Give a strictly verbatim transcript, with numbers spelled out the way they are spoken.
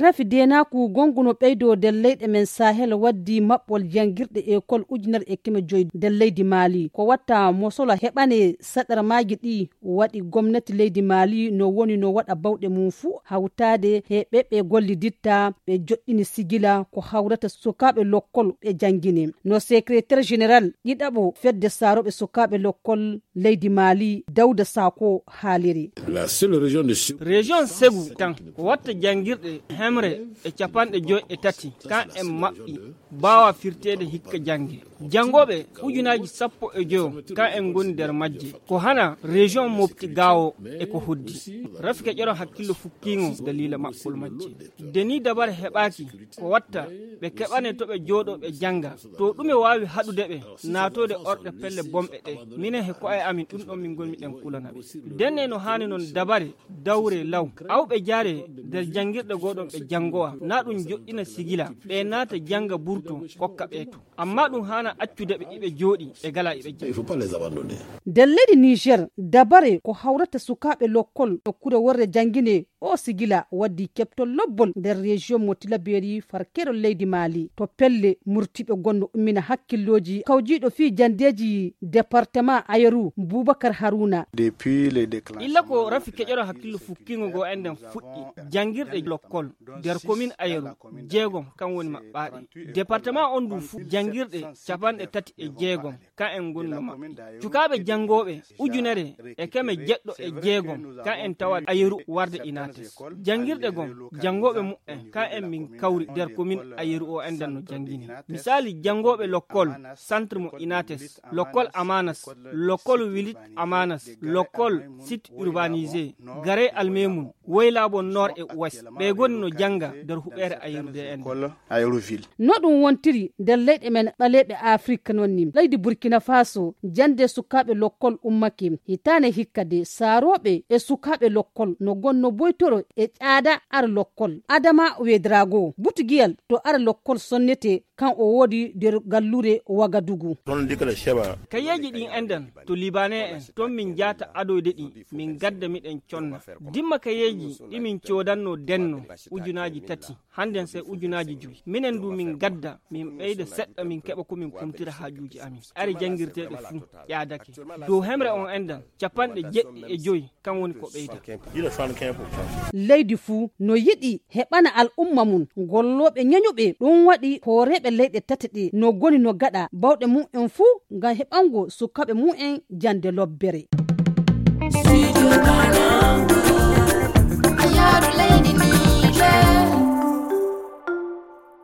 Rafi deenaaku gonngu no ɓeydoo nder leyɗe men Sahel waddi maɓɓol janngirɗe ekol ujunere e keme joyi nder leydi Maali. Ko watta mosolo heɓane saɗarmaaji ɗi waɗi gomnati leydi Maali no woni no waɗa bawɗe mum fuu hawtaade he ɓe ɓe golliditta ɓe joɗɗini sigila ko hawrata sukaaɓe lokkol ɓe janngine. No secrétaire général ɗiɗaɓo fedde saarooɓe sukaaɓe lokkol leydi Maali Dawda Sako haaliri. La seule région de Ségou. Région Ségou tan ko watta janngirɗe hemre e capanɗe joy e tati kan en maɓɓi baawa firteede hikka jannge. Janngooɓe ujunaaji sappo e joyo kan en ngoni nder majje. Ko hana région Mopti Gaawo e ko hoddi. Rafi keƴoro hakkillo fukkiingo daliila maɓɓol majje. Deni dabare heɓaaki ko watta ɓe keɓane to ɓe jooɗo ɓe jannga. To ɗume waawi haɗude ɓe naatoode orɗe pelle bomɓe ɗe. Minen he ko'e amin ɗum ɗon min ngoni miɗen kulana ɓe. Denne no haani noon dabare dawre law. Awɓe jaare nder janngirɗe goo ɗon ɓe janngowa. Na ɗum joɗɗina sigila. Ɓe naata jannga burto kokka ɓe to. Amma ɗum haana accude ɓe iɓe jooɗi ɓe gala iɓe jannga. Nder leydi Niger, dabare ko hawrata sukaaɓe lokkol nokkure worre janngine o sigila waddi keɓtol lobbol nder région mo Tilaberi farkerol leydi Maali. To pelle murtiɓe gonno ummina hakkillooji kawjiiɗo fii janndeeji département Ayeru Bubakar Haruna. Depuis les déclenchements. Illa ko rafi keƴoro hakkillo fukkingo goo en nden fuɗɗi janngirɗe lokkol nder commune Ayeru jeegom kan woni maɓɓaaɗe. Département on ndu fuu janngirɗe capanɗe tati e jeegom kan en ngoni no maɓɓi. Cukaaɓe janngooɓe ujunere e keme jeɗɗo e jeegom kan en tawa Ayeru warde Inates. Janngirɗe gom janngooɓe muɓɓen kan en min kawri nder commune Ayeru o endan no janngini. Misaali janngooɓe lokkol centre mo Inates, lokkol Amanas, lokkol Wilit Amanas, lokkol site urbanisé, gare Almemun, Woylaabo Nord e Ouest, ɓe goni no jannga nder huɓeere Ayeru D N D. No ɗum wontiri nder leyɗe men ɓaleeɓe Afrik noon ni. Leydi Burkina Faso, jannde sukaaɓe lokkol ummake. Hitaane hikka de, saarooɓe e sukaaɓe lokkol no gonno boytoro e ƴaada ar lokkol. Adama Wedrago, butugiyal to ar lokkol sonnete kan o woodi nder gallure Wagadugu. Kayeeji ɗin endan to Libanee en, ton min jaata adoyde ɗi, min gadda miɗen conna. Dimma kayeeji ɗi min coodanno denno ujunaaji tati, hannden sey ujunaaji jowi. Minen du min gadda, min ɓeyda seɗɗa, min keɓa ko min kumtira haajuuji amin. Ari janngirteeɗe fuu ƴaadake. Dow hemre on endan, capanɗe jeɗɗi e jowi, kan woni ko ɓeyda. Leydi fuu no yiɗi heɓana al'umma mum gollooɓe ñañuɓe. Ɗum waɗi hooreeɓe leyɗe tati ɗe no goni no gaɗa bawɗe mum en fuu ngam heɓango sukaaɓe mum en jannde lobbere.